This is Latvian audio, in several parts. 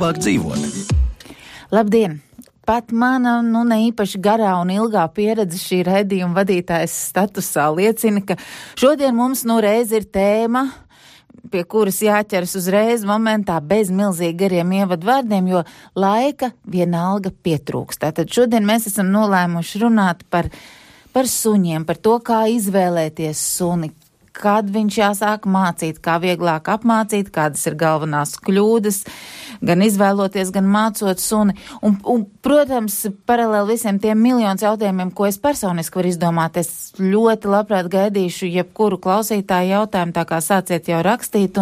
vieglāk dzīvot. Labdien! Pat mana, ne īpaši garā un ilgā pieredze šī raidījuma vadītājas statusā liecina, ka šodien mums reiz ir tēma, pie kuras jāķeras uzreiz momentā bez milzīgi gariem ievadvārdiem, jo laika vienalga pietrūkst. Tātad šodien mēs esam nolēmuši runāt par suņiem, par to, kā izvēlēties suni, kad viņš jāsāk mācīt, kā vieglāk apmācīt, kādas ir galvenās kļūdas, gan izvēloties, gan mācot suni. Un protams, paralēli visiem tiem miljonus jautājumiem, ko es personiski varu izdomāt, es ļoti labprāt gaidīšu jebkuru klausītāju jautājumu, tā kā sāciet jau rakstīt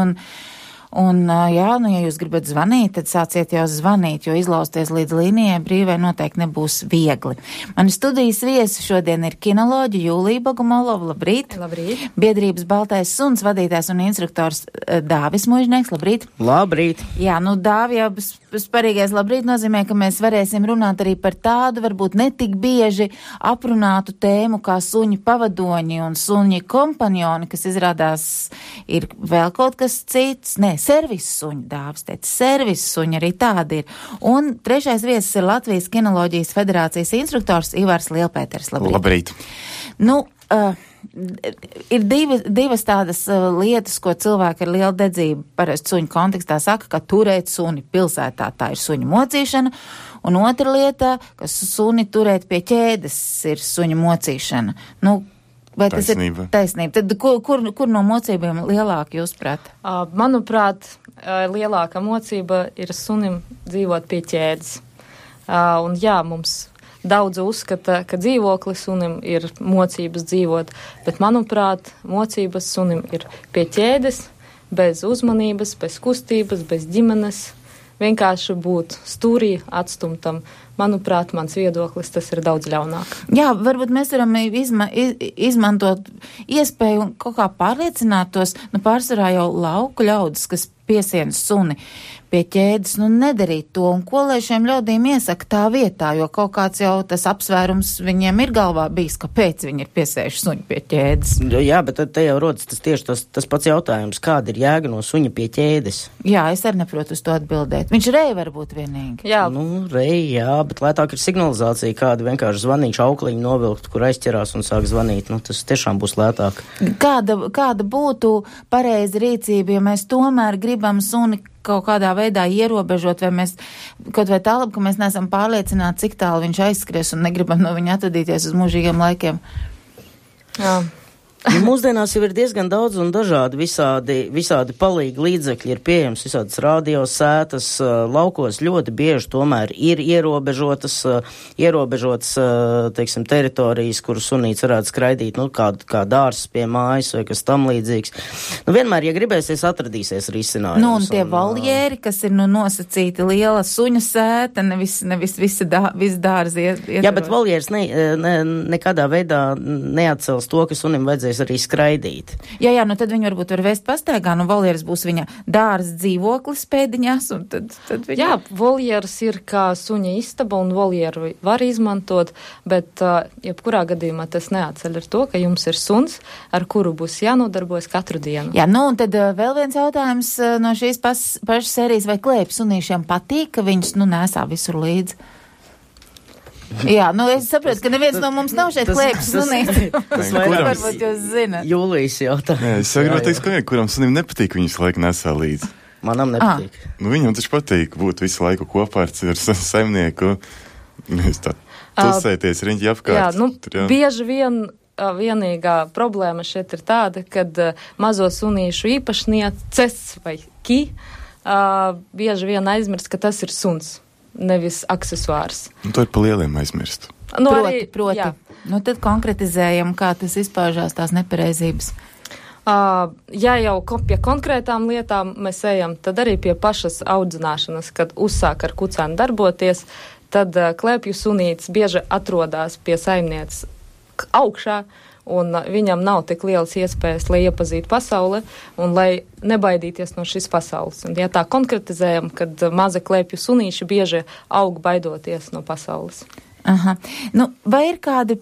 ja jūs gribat zvanīt, tad sāciet jau zvanīt, jo izlausties līdz līnijai brīvai noteikti nebūs viegli. Mani studijas viesi šodien ir kinoloģi Jūlija Bogomolova, labrīt. Labrīt. Biedrības Baltais suns vadītājs un instruktors Dāvis Muižnieks, labrīt. Labrīt. Jā, Dāvi, jau sparīgais labrīt nozīmē, ka mēs varēsim runāt arī par tādu, varbūt netik bieži aprunātu tēmu kā suņi pavadoņi un suņi kompanjoni, kas izrādās ir vēl kaut kas cits. Servis suņi, Dāvis teica, servis suņi arī tādi ir. Un trešais viesis ir Latvijas kinoloģijas federācijas instruktors Ivars Lielpēters. Labrīt. Ir divas tādas lietas, ko cilvēki ar lielu dedzību parasti suņu kontekstā saka, ka turēt suni pilsētā, tā ir suņu mocīšana, un otra lieta, ka suni turēt pie ķēdes ir suņu mocīšana. Vai tas ir taisnība? Tad kur no mocībiem lielāka jūs prāt? Manuprāt, lielākā mocība ir sunim dzīvot pie ķēdes. Un jā, mums daudz uzskata, ka dzīvoklis sunim ir mocības dzīvot, bet manuprāt, mocības sunim ir pie ķēdes, bez uzmanības, bez kustības, bez ģimenes. Vienkārši būt stūrī atstumtam. Manuprāt, mans viedoklis, tas ir daudz ļaunāk. Jā, varbūt mēs varam izmantot iespēju un kaut kā pārliecināt tos, pārsvarā jau lauku ļaudis, kas piesien suni pie ķēdes, nedarīt to, un ko lai šiem ļaudīm iesaka tā vietā, jo kaut kāds jau tas apsvērums viņiem ir galvā bijis, kāpēc viņi ir piesējuši suņu pie ķēdes. Jā, bet te jau rodas tas pats jautājums, kāda ir jēga no suņa pie ķēdes? Jā, es arī neprotu uz to atbildēt. Viņš rei varbūt vienīgi. Jā. Jā, bet lētāk ir signalizācija, kāda vienkārši zvanīšu aukliņu novilkt, kur aizķerās un sāk zvanīt. Tas tiešām būs lētāk. Kāda būtu pareiza rīcība, ja mēs tomēr gribam suni kaut kādā veidā ierobežot, vai mēs kaut vai tālāk, ka mēs neesam pārliecināti, cik tālu viņš aizskries un negribam no viņa atvadīties uz mūžīgiem laikiem? Jā. Ja mūsdienās jau ir diezgan daudz un dažādi visādi palīgi līdzekļi ir pieejams, visādas radiosētas, laukos ļoti bieži tomēr ir ierobežotas, teiksim, teritorijas, kur sunīts varētu skraidīt, kā dārs pie mājas vai kas tam līdzīgs. Vienmēr, ja gribēsies, atradīsies risinājums. Un tie voljēri, kas ir nosacīti liela suņa sēta, nevis viss dārzi iet. Jā, bet voljērs nekādā veidā neatcels to, ka sunim vajadzēs arī skraidīt. Jā, tad viņi varbūt var vest pastaigā, voljērs būs viņa dārza dzīvoklis pēdiņās, un tad viņa... Jā, voljērs ir kā suņa istaba, un voljēru var izmantot, bet jebkurā gadījumā tas neatceļ ar to, ka jums ir suns, ar kuru būs jānodarbojas katru dienu. Jā, un tad vēl viens jautājums no šīs pašas sērijas, vai klēpju sunīšiem patīk, ka viņus, nesā visur līdzi? Jā, es saprotu, ka neviens no mums nav šeit klēpjas sunīts. Tas varbūt jūs zināt. Jūlijas jautājums. Es saprotu, teiks, ka kuram sunim nepatīk viņus laiku nesā līdzi. Manam nepatīk. Viņam taču patīk būt visu laiku kopā ar saimnieku. Tusēties riņķi apkārt. Jā, bieži vien vienīgā problēma šeit ir tāda, kad mazo sunīšu īpašnieces vai bieži vien aizmirst, ka tas ir suns. Nevis aksesuārs. To ir pa lieliem aizmirst. Proti. Jā. Tad konkretizējam, kā tas izpaužās tās nepareizības. Ja jau pie konkrētām lietām mēs ejam, tad arī pie pašas audzināšanas, kad uzsāk ar kucēnu darboties, tad klēpju sunīts bieži atrodas pie saimnieces augšā, un viņam nav tik lielas iespējas, lai iepazītu pasauli un lai nebaidīties no šīs pasaules. Un ja tā konkretizējam, kad maza klēpju sunīši bieži aug baidoties no pasaules. Aha. Vai ir kādi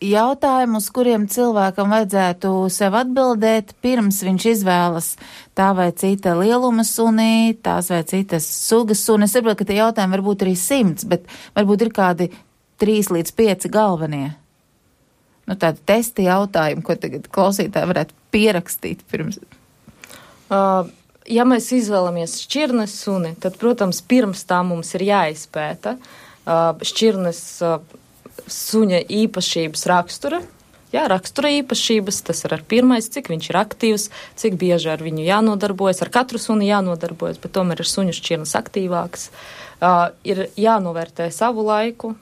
jautājumi, uz kuriem cilvēkam vajadzētu sev atbildēt, pirms viņš izvēlas tā vai cita lieluma suni, tās vai citas sugas suni. Es saprotu, ka tie jautājumi varbūt arī 100, bet varbūt ir kādi 3 līdz 5 galvenie. Nu, tādi testi jautājumi, ko tagad klausītāji varētu pierakstīt pirms. Ja mēs izvēlamies šķirnes suni, tad, protams, pirms tā mums ir jāizpēta šķirnes suņa īpašības rakstura. Jā, rakstura īpašības, tas ir ar pirmais, cik viņš ir aktīvs, cik bieži ar viņu jānodarbojas, ar katru suni jānodarbojas, bet tomēr ir suņu šķirnes aktīvāks. Ir jānovērtē savu laiku.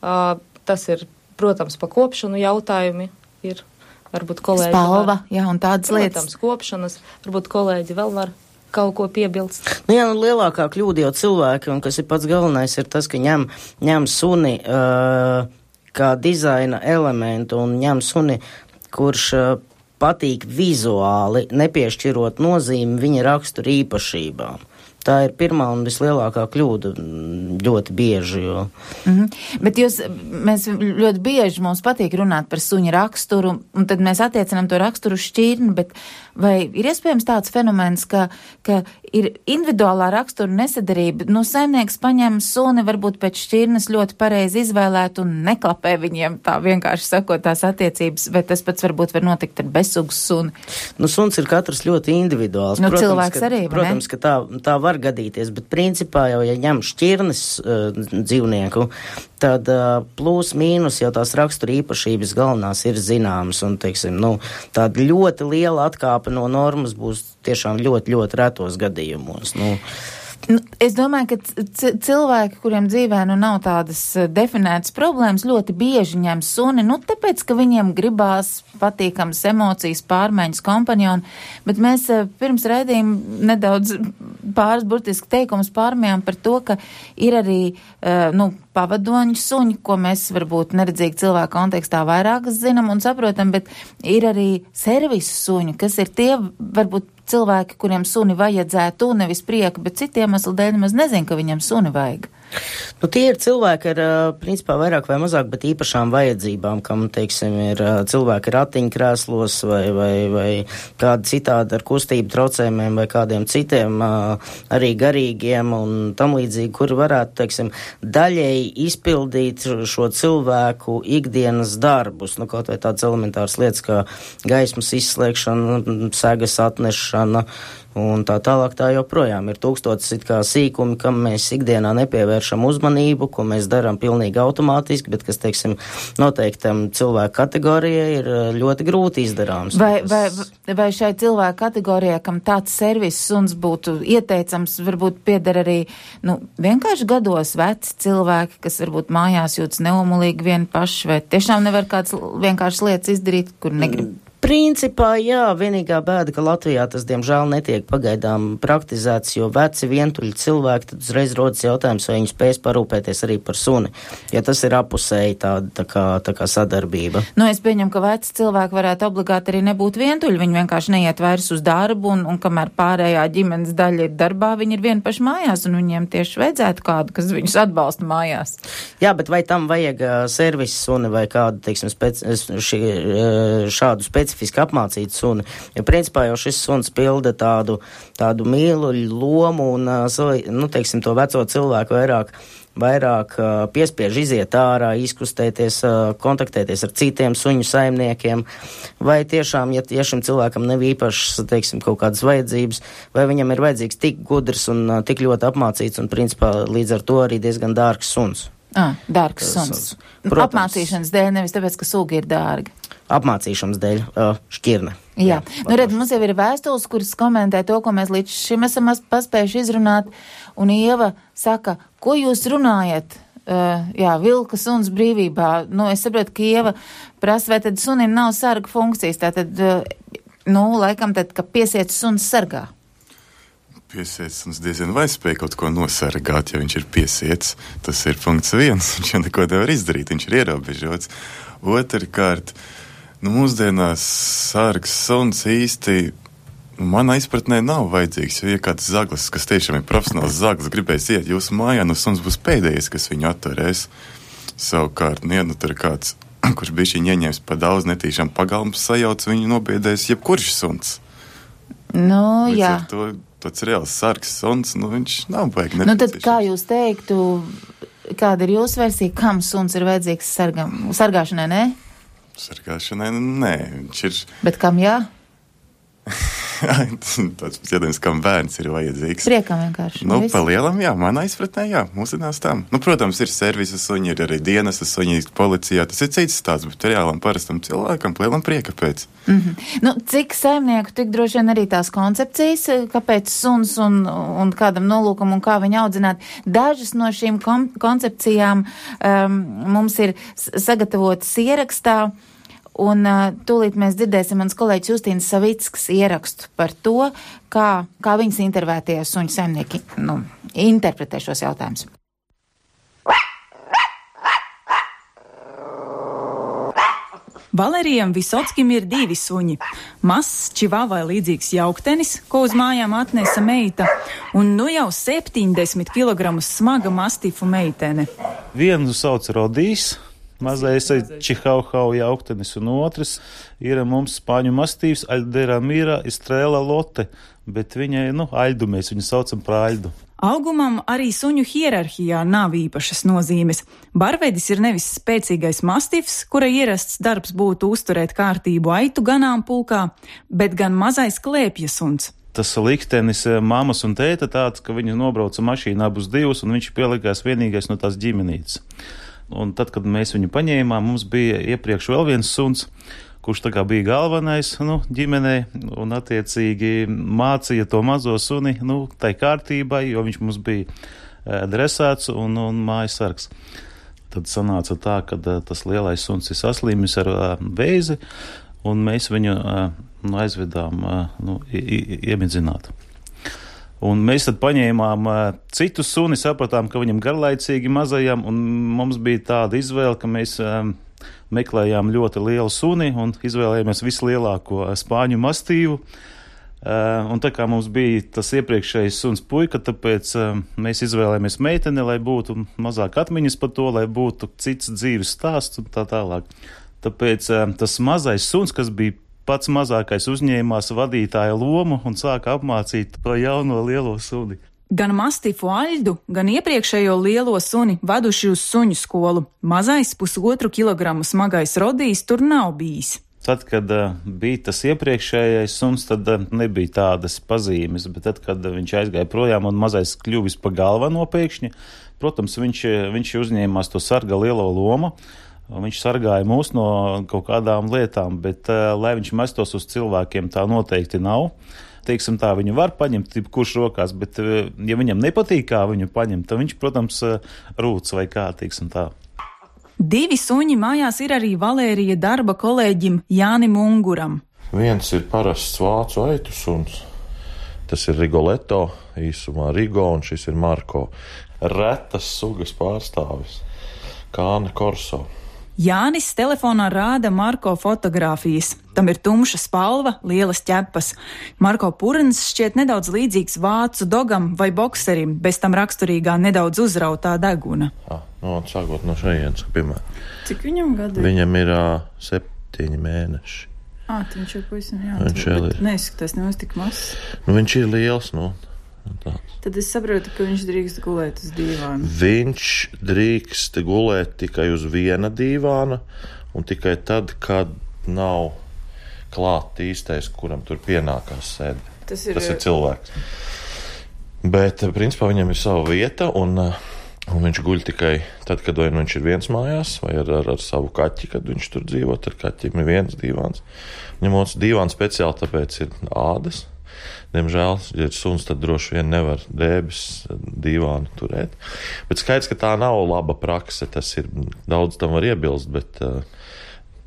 Tas ir, protams, pa kopšanu jautājumi ir, varbūt kolēģi spalva, jā, un tādas lietas. Protams, kopšanas, varbūt kolēģi vēl var kaut ko piebilst. Jā, lielākā kļūda jau cilvēki, un kas ir pats galvenais, ir tas, ka ņem suni kā dizaina elementu un ņem suni, kurš patīk vizuāli, nepiešķirot nozīmi viņa rakstura īpašībām. Tā ir pirmā un vislielākā kļūda ļoti bieži. Jo. Bet mēs ļoti bieži mums patīk runāt par suņa raksturu, un tad mēs attiecinām to raksturu šķirni, bet vai ir iespējams tāds fenomens, ka ir individuālā rakstura nesadarība? Nu, saimnieks paņem suni, varbūt pēc šķirnes ļoti pareizi izvēlēt un neklapē viņiem tā vienkārši sakot tās attiecības, vai tas pats varbūt var notikt ar bezsugas suni? Nu, suns ir katrs ļoti individuāls. Nu, cilvēks arī, protams, ka tā var gadīties, bet principā jau, ja ņem šķirnes dzīvnieku, tad plus mīnus jau tās rakstura īpašības galvenās ir zināmas, un, teiksim, tāda ļoti liela atkāpe no normas būs tiešām ļoti, ļoti retos gadījumos. Es domāju, ka cilvēki, kuriem dzīvē nav tādas definētas problēmas, ļoti bieži ņem suni, tāpēc, ka viņiem gribās patīkams emocijas, pārmaiņas, kompanjoni, bet mēs pirms raidījuma nedaudz pāris burtiski teikumus pārmējām par to, ka ir arī, pavadoņu suņi, ko mēs varbūt neredzīgi cilvēku kontekstā vairāk zinām un saprotam, bet ir arī servisu suņi, kas ir tie, varbūt cilvēki, kuriem suni vajadzētu, nevis prieka, bet citiem iemeslu dēļ nemaz nezin, ka viņam suni vajag. Tie ir cilvēki ar, principā, vairāk vai mazāk, bet īpašām vajadzībām, kam, teiksim, ir cilvēki ratiņkrēslos vai kādi citādi ar kustību traucējumiem vai kādiem citiem arī garīgiem un tam līdzīgi, kuri varētu, teiksim, daļēji izpildīt šo cilvēku ikdienas darbus, kaut vai tādas elementāras lietas kā gaismas izslēgšana, segas atnešana, un tā tālāk tā joprojām ir tūkstotis it kā sīkumi, kam mēs ikdienā nepievēršam uzmanību, ko mēs darām pilnīgi automātiski, bet kas, teiksim, noteiktam cilvēku kategorijai ir ļoti grūti izdarāms. Vai šai cilvēku kategorijai, kam tāds servis suns būtu ieteicams, varbūt pieder arī, vienkārši gados veci cilvēki, kas varbūt mājās jūtas neumulīgi vien paši, vai tiešām nevar kāds vienkārši lietas izdarīt, kur negrib? Principā, jā, vienīgā bēda, ka Latvijā tas, diemžēl, netiek pagaidām praktizēts, jo veci vientuļi cilvēki, tad uzreiz rodas jautājums, vai viņi spēs parūpēties arī par suni, ja tas ir apusēji tā kā sadarbība. Es pieņemu, ka veci cilvēki varētu obligāti arī nebūt vientuļi, viņi vienkārši neiet vairs uz darbu, un kamēr pārējā ģimenes daļa ir darbā, viņi ir vien paši mājās, un viņiem tieši vajadzētu kādu, kas viņus atbalsta mājās. Jā, bet vai tam vajag servisu suni vai kādu, teiksim, šādu specifisku apmācītu suni, jo principā jau šis suns pilda tādu mīluļu lomu un, teiksim, to veco cilvēku vairāk piespiež iziet ārā, izkustēties, kontaktēties ar citiem suņu saimniekiem, vai tiešām, ja šim cilvēkam nav īpašas, teiksim, kaut kādas vajadzības, vai viņam ir vajadzīgs tik gudrs un tik ļoti apmācīts un, principā, līdz ar to arī diezgan dārgs suns. Dārgs suns. Apmācīšanas dēļ, nevis tāpēc, ka suga ir dārga. Apmācīšanas dēļ šķirne. Jā. Mums jau ir vēstules, kuras komentē to, ko mēs līdz šim esam paspējuši izrunāt, un Ieva saka, ko jūs runājat? Vilka suns brīvībā. Es saprotu, ka Ieva prasa, vai tad sunim nav sarga funkcijas, tātad, laikam tad, ka piesiet suns sargā. Piesiets suns diezgan vai spēj kaut ko nosargāt, ja viņš ir piesiets. Tas ir punkts 1, viņš jau neko nevar izdarīt, viņš ir ierobežots. Otrkārt, mūsdienās sargs suns īsti manā izpratnē nav vajadzīgs, jo, ja kāds zaglis, kas tiešām ir profesionāls zaglis, gribēs iet jūsu mājā, suns būs pēdējais, kas viņu atturēs. Savukārt, tur ir kāds kurš bišķiņ ieņems pa daudz netīšām pagalmas sajauc, viņu nobiedēs jebkurš suns. Nu, Līdz jā. ar to tāds reāls sargs suns, viņš nav baigi Nu, tad nepieciešams. kā jūs teiktu, kāda ir jūsu versija, kam suns ir vajadzīgs sargāšanai, ne? Sargāšanai, nē, viņš ir Bet kam jā? tāds jādams, kam bērns ir vajadzīgs. Priekam vienkārši. Nu, viss. pa lielam, jā, manā izpratnē, jā, mūsdienās tā. Nu, protams, ir servisa suņi, ir arī dienestas suņi policijā, tas ir cits stāsts, bet reālam parastam cilvēkam lielam prieka pēc. Nu, cik saimnieku, tik droši vien arī tās koncepcijas, kāpēc suns un kādam nolūkam un kā viņu audzināt. Dažas no šīm koncepcijām mums ir sagatavotas ierakstā. Un tūlīt mēs dzirdēsim mans kolēģis Justīnas Savickas ierakstu par to, kā viņas intervētie suņu saimnieki interpretē šos jautājumus. Valērijam Visockim ir 2 suņi. Mazs čivavai līdzīgs jauktenis, ko uz mājām atnesa meita, un nu jau 70 kg smaga mastifu meitene. Vienu sauc Rodijs. Mazais čihauhau jauktenis, un otrs ir mums spāņu mastīvs Aļdera Mīra Istrēla Lote, bet viņai, Aļdu mēs viņu saucam par Aļdu. Augumam arī suņu hierarhijā nav īpašas nozīmes. Barvedis ir nevis spēcīgais mastifs, kura ierasts darbs būtu uzturēt kārtību aitu ganāmpulkā, bet gan mazais klēpja suns. Tas liktenis mammas un tēta tāds, ka viņi nobrauca mašīnā abus divus, un viņš pielikās vienīgais no tās ģimenītes. Un tad, kad mēs viņu paņēmām, mums bija iepriekš vēl viens suns, kurš tā kā bija galvenais ģimenē, un attiecīgi mācīja to mazo suni tai kārtībai, jo viņš mums bija dresēts un mājas sargs. Tad sanāca tā, ka tas lielais suns ir saslimis ar vēzi, un mēs viņu aizvedām iemidzināt. Un mēs tad paņēmām citu suni, sapratām, ka viņam garlaicīgi mazajam, un mums bija tāda izvēle, ka mēs meklējām ļoti lielu suni un izvēlējāmies vislielāko spāņu mastīvu. Un tā kā mums bija tas iepriekšējais suns puika, tāpēc mēs izvēlējāmies meiteni, lai būtu mazāk atmiņas par to, lai būtu cits dzīves stāsts un tā tālāk. Tāpēc tas mazais suns, kas bija pats mazākais, uzņēmās vadītāja lomu un sāka apmācīt to jauno lielo suni. Gan mastifu Aļdu, gan iepriekšējo lielo suni vaduši uz suņu skolu. Mazais 1,5 kilogramu smagais Rodijs tur nav bijis. Tad, kad bija tas iepriekšējais suns, tad nebija tādas pazīmes, bet tad, kad viņš aizgāja projām un mazais kļuvis pa galveno pēkšņi, protams, viņš uzņēmās to sarga lielo lomu. Viņš sargāja mūs no kaut kādām lietām, bet, lai viņš mestos uz cilvēkiem, tā noteikti nav. Teiksim tā, viņu var paņemt, kurš rokās, bet, ja viņam nepatīk, kā viņu paņemt, tad viņš, protams, rūc vai kā, teiksim tā. 2 suņi mājās ir arī Valērija darba kolēģim Jānim Unguram. Viens ir parasts vācu aitu suns. Tas ir Rigoletto, īsumā Rigo, un šis ir Marko. Retas sugas pārstāvis. Kāne Korso. Jānis telefonā rāda Marko fotogrāfijas. Tam ir tumša spalva, lielas ķepas. Marko purns šķiet nedaudz līdzīgs vācu dogam vai bokserim, bez tam raksturīgā nedaudz uzrautā deguna. Sākot no šejienes, piemēram. Cik viņam gadi? Viņam ir 7 mēneši. Viņš ir pavisam Viņš ir. Neizskatās nemaz tik mazs. Viņš ir liels, Tad es saprotu, ka viņš drīkst gulēt uz dīvāna. Viņš drīkst gulēt tikai uz viena dīvāna, un tikai tad, kad nav klāt īstais, kuram tur pienākās sēdēt. Tas ir cilvēks. Bet, principā, viņam ir sava vieta, un viņš guļ tikai tad, kad viņš ir viens mājās, vai ar savu kaķi, kad viņš tur dzīvo, ar kaķim ir viens dīvāns. Viņam otrs dīvāns speciāli, tāpēc ir ādas. Diemžēl, ja ir suns, tad droši vien nevar drēbes dīvānu turēt. Bet skaidrs, ka tā nav laba prakse, tas ir, daudz tam var iebilst, bet,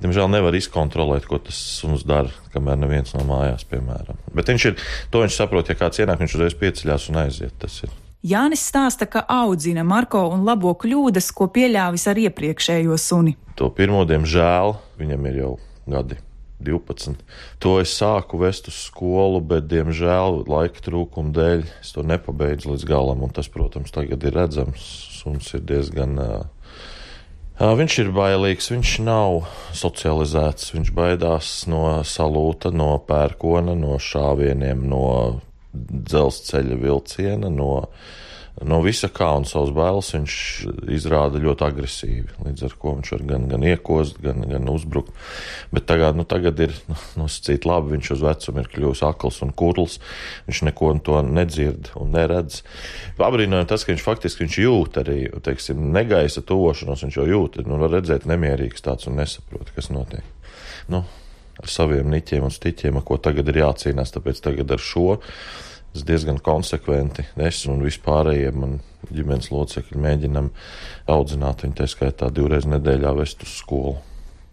diemžēl nevar izkontrolēt, ko tas suns dara, kamēr neviens nav mājās, piemēram. Bet viņš saprot, ja kāds ienāk, viņš uzreiz pieceļās un aiziet, tas ir. Jānis stāsta, ka audzina Marko un labo kļūdas, ko pieļāvis ar iepriekšējo suni. To pirmo, diemžēl, viņam ir jau gadi. 12. To es sāku vest uz skolu, bet, diemžēl, laika trūkuma dēļ es to nepabeidzu līdz galam, un tas, protams, tagad ir redzams. Suns ir diezgan Viņš ir bailīgs, viņš nav socializēts, viņš baidās no salūta, no pērkona, no šāvieniem, no dzelzceļa vilciena, no visa kā, un savus bailes viņš izrāda ļoti agresīvi, līdz ar ko viņš var gan iekost, gan uzbrukt. Bet tagad ir nosacīt labi, viņš uz vecumu ir kļuvis akls un kurls, viņš neko to nedzird un neredz. Abrīnojam tas, ka viņš jūt arī, teiksim, negaisa tuvošanos, viņš jau jūt, var redzēt nemierīgs tāds un nesaprot, kas notiek. Ar saviem niķiem un stiķiem, ar ko tagad ir jācīnās, tāpēc tagad ar šo es diezgan konsekventi, es un vispārējie man ģimenes locekļi mēģinam audzināt viņu, tā skaitā 2 reizes nedēļā vest uz skolu.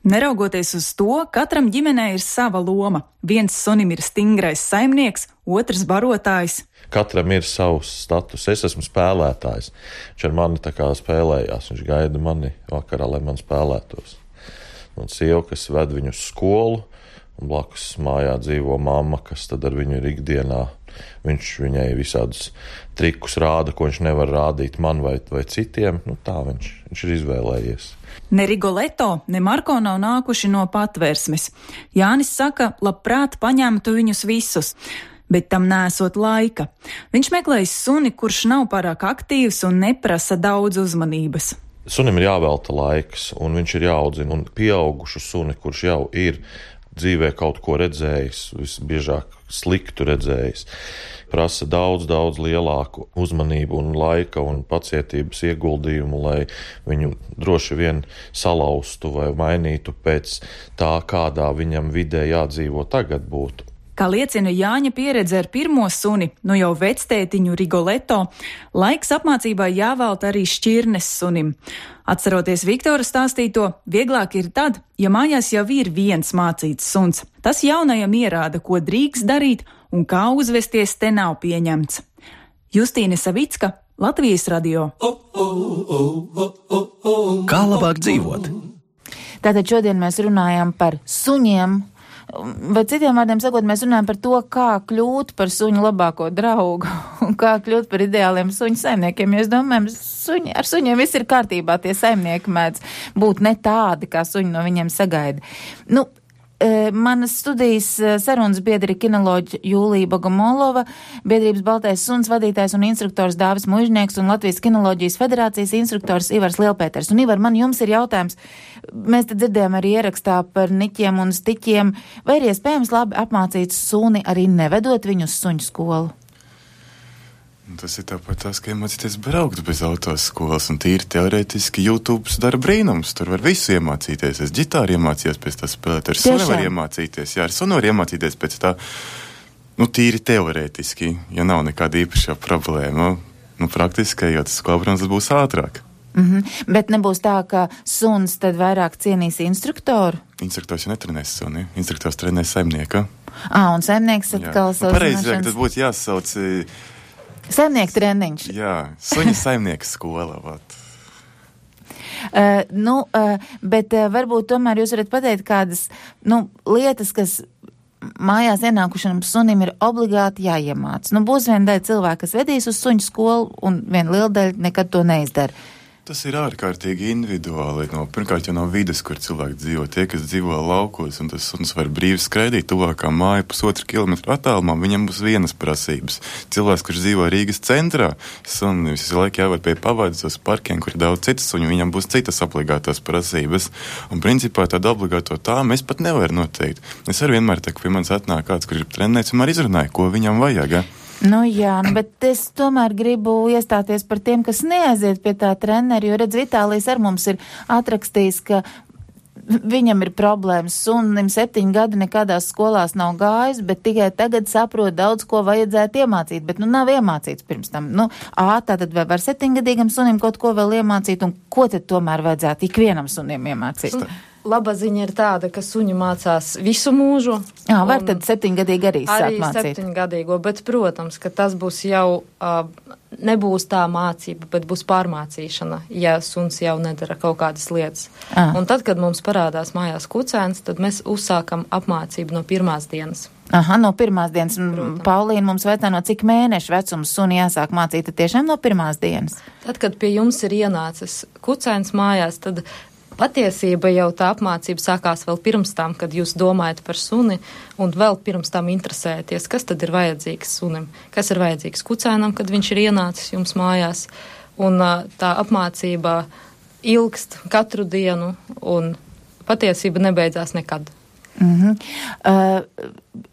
Neraugoties uz to, katram ģimenē ir sava loma. Viens sunim ir stingrais saimnieks, otrs barotājs. Katram ir savs status. Es esmu spēlētājs. Viņš ar mani tā kā spēlējās. Viņš gaida mani vakarā, lai man spēlētos. Un sieva, kas ved viņu uz skolu, un blakus mājā dzīvo mamma, kas tad ar viņu ir ikdienā. Viņš viņai visādus trikus rāda, ko viņš nevar rādīt man vai citiem. Tā viņš ir izvēlējies. Ne Rigoletto, ne Marko nav nākuši no Patvērsmes. Jānis saka, labprāt paņemtu viņus visus, bet tam nesot laika. Viņš meklējas suni, kurš nav pārāk aktīvs un neprasa daudz uzmanības. Sunim ir jāvelta laiks, un viņš ir jāaudzina, un pieaugušu suni, kurš jau ir dzīvē kaut ko redzējis, visbiežāk sliktu redzējis, prasa daudz lielāku uzmanību un laika un pacietības ieguldījumu, lai viņu droši vien salauztu vai mainītu pēc tā, kādā viņam vidē jādzīvo tagad būtu. Kā liecina Jāņa pieredze ar pirmo suni, jau vectētiņu Rigoletto, laiks apmācībai jāvelta arī šķirnes sunim. Atceroties Viktora stāstīto, vieglāk ir tad, ja mājās jau ir viens mācīts suns. Tas jaunajam ierāda, ko drīkst darīt un kā uzvesties te nav pieņemts. Justīne Savicka, Latvijas radio. Kā labāk dzīvot? Tātad šodien mēs runājam par suņiem. Vai citiem vārdiem sakot, mēs runājam par to, kā kļūt par suņu labāko draugu un kā kļūt par ideāliem suņu saimniekiem. Jo es domāju, ar suņiem viss ir kārtībā, tie saimnieki mēdz būt ne tādi, kā suņi no viņiem sagaida. Manas studijas sarunas biedri kinoloģi Jūlija Bogomolova, biedrības Baltais suns vadītājs un instruktors Dāvis Muižnieks un Latvijas kinoloģijas federācijas instruktors Ivars Lielpēters. Un Ivar, man jums ir jautājums, mēs te dzirdējām arī ierakstā par niķiem un stiķiem, vai ir iespējams labi apmācīt suni arī nevedot viņu uz suņu skolu? Tas ir tāpat tās, ka iemācīties braukt bez autoskolas, un tīri teorētiski YouTube dara brīnums. Tur var visu iemācīties. Es ģitāru iemācījos pēc tā spēlēt, ar sunu var iemācīties. Jā, ar sunu var iemācīties pēc tā, tīri teorētiski, ja nav nekāda īpašā problēma. Praktiski, jo tas skolā, protams, būs ātrāk. Bet nebūs tā, ka suns tad vairāk cienīs instruktoru? Instruktors jau netrenēs suni, instruktors trenēs saimnieka. Un saimnieks atkal savas pareizāk, tas būtu jāsauc... Saimnieku treniņš. Jā, suņa saimnieka skola. Bet varbūt tomēr jūs varat pateikt kādas lietas, kas mājās ienākušanam sunim ir obligāti jāiemāc. Būs viena daļa cilvēka, kas vedīs uz suņu skolu, un viena liela daļa nekad to neizdara. Tas ir ārkārtīgi individuāli. Pirmkārt, jau no vides, kur cilvēki dzīvo. Tie, kas dzīvo laukos, un tas suns var brīvi skraidīt tuvākā māja 1,5 kilometru attālumā, viņam būs vienas prasības. Cilvēks, kurš dzīvo Rīgas centrā, sunim visu laiku jāvar pie pavādas uz parkiem, kur ir daudz citas suņu, viņam būs citas obligātās prasības. Un principā tādu obligāto tā mēs pat nevaram noteikt. Es arī vienmēr teiktu, pie manis atnāk kāds, kurš ir trenēts, un arī izrunāju, ko viņam vajag. Bet es tomēr gribu iestāties par tiem, kas neaiziet pie tā treneri, jo redz, Vitālijs ar mums ir atrakstījis, ka viņam ir problēmas, sunim 7 gadi nekādās skolās nav gājis, bet tikai tagad saprot daudz, ko vajadzētu iemācīt, bet nav iemācīts pirms tam. Tātad vai var 7-gadīgam sunim kaut ko vēl iemācīt, un ko tad tomēr vajadzētu ikvienam sunim iemācīt? Laba ziņa ir tāda, ka suņi mācās visu mūžu. Var tad 7-gadīgi arī sāk mācīt. Arī 7-gadīgo, bet, protams, ka tas būs jau, nebūs tā mācība, bet būs pārmācīšana, ja suns jau nedara kaut kādas lietas. Un tad, kad mums parādās mājās kucēns, tad mēs uzsākam apmācību no pirmās dienas. No pirmās dienas. Paulīna mums vaicā, no cik mēnešu vecums suni jāsāk mācīt, tad tiešām no pirmās dienas? Tad, kad pie jums ir ienācis kucēns mājās, tad Patiesība jau tā apmācība sākās vēl pirms tam, kad jūs domājat par suni un vēl pirms tam interesēties, kas tad ir vajadzīgs sunim, kas ir vajadzīgs kucēnam, kad viņš ir ienācis jums mājās. Un tā apmācība ilgst katru dienu un patiesība nebeidzās nekad.